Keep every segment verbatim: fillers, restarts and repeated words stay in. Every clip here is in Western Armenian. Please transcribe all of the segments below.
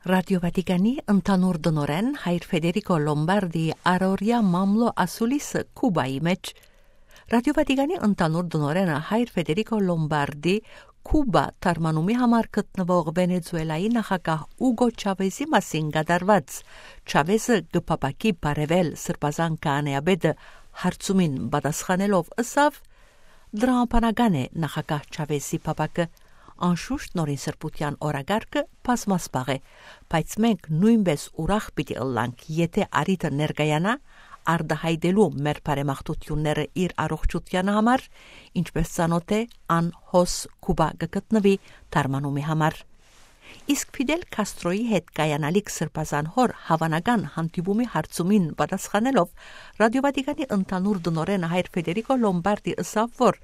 Ռատիո Վատիկանի ընդհանուր տնօրէն հայր Ֆեդերիկո Լոմբարդի առօրեայ մամլոյ ասուլիսը Քուբայի մէջ։ Ռատիո Վատիկանի ընդհանուր տնօրէնը հայր Ֆեդերիկո Լոմբարդի Քուբա թարմանումի համար գտնուող Վենեզուելայի նախագահ Ուգո Չավեզի մասին կատարուած «Չավեզը կը փափաքի բարեւել» սրբազան քահանայապետը հարցումին պատասխանելով ըսաւ. «Դրամաբանական է նախագահ Չավեզի փափակը։ Անշուշտ նորին սրբութեան օրակարգը բազմասպաղ է, բայց մենք նոյնպէս ուրախ պիտի ըլլանք, եթէ առիթը ներկայանայ արտայայտելու մեր բարեմաղթութիւնները իր առողջութեան համար, ինչպէս ծանօթ է ան հոս Քուբա կը գտնուի թարմանումի համար»։ Իսկ Ֆիդել Քաստրոյի հետ կայանալիք սրբազան հօր հաւանական հանդիպումի հարցումին պատասխանելով, Ռատիո Վատիկանի ընդհանուր տնօրէնը հայր Ֆեդերիկո Լոմբարդի ըսաւ, որ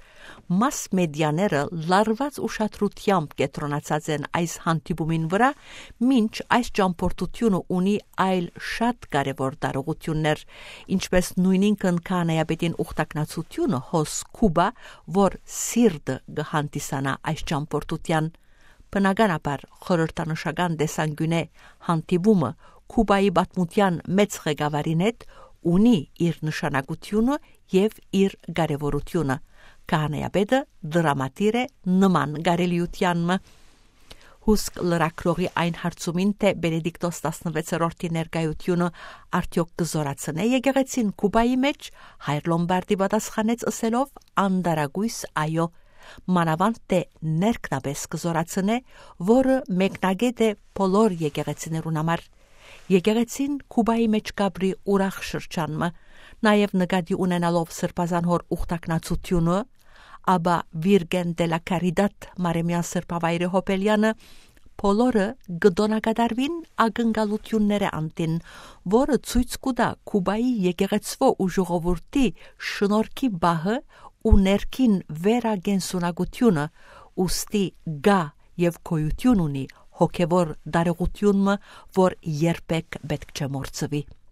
մաս մեդիաները լարուած ուշադրութեամբ կեդրոնացած են այս հանդիպումին վրայ, մինչ այս ճամբորդութիւնը ունի այլ շատ կարեւոր տարողութիւններ, ինչպէս նոյնինքն քահանայապետին ուխտակնացութիւնը հոս Քուբա, որ սիրտը կը հանդիսանայ այս ճամբորդութեան։ Բնականաբար, խորհրդանշական տեսանկիւնէ հանդիպումը Քուբայի պատմութեան մեծ ղեկավարին հետ ունի իր նշանակութիւնը եւ իր կարեւորութիւնը։ Քահանայապետը դրամատիր է նման կարելիութեան մը։ Հուսկ լրագրողի այն հարցումին, թէ Բենեդիկտոս տասնվեցերորդի ներկայութիւնը արդեօք կը զօրացնէ եկեղեցին Քուբայի մէջ, հայր Լոմբարդի պատասխանեց ըսելով անտարակոյս այո։ Մանաւանդ թէ ներքնապէս կը զօրացնէ, որը մեկնակէտ է բոլոր եկեղեցիներուն համար։ Եկեղեցին Քուբայի մէջ կապրի ուրախ շրջան մը, նաեւ նկատի ունենալով սրբազան հօր ուխտակնացութիւնը, ապա Վիրգեն դե լա Քարիդատ Մարեմեան սրբավայրի հոբելեանը, բոլորը կը տօնակատարուին ակնկալութիւններէ անդին, որը ցոյց կու տայ Քուբայի եկեղեցւոյ ու ժողովուրդի շնորհքի պահը ու ներքին վերակենսունակութիւնը, ուստի կայ եւ գոյութիւն ունի հոգեւոր տարողութիւն մը, որ երբեք պէտք չէ մոռցուի։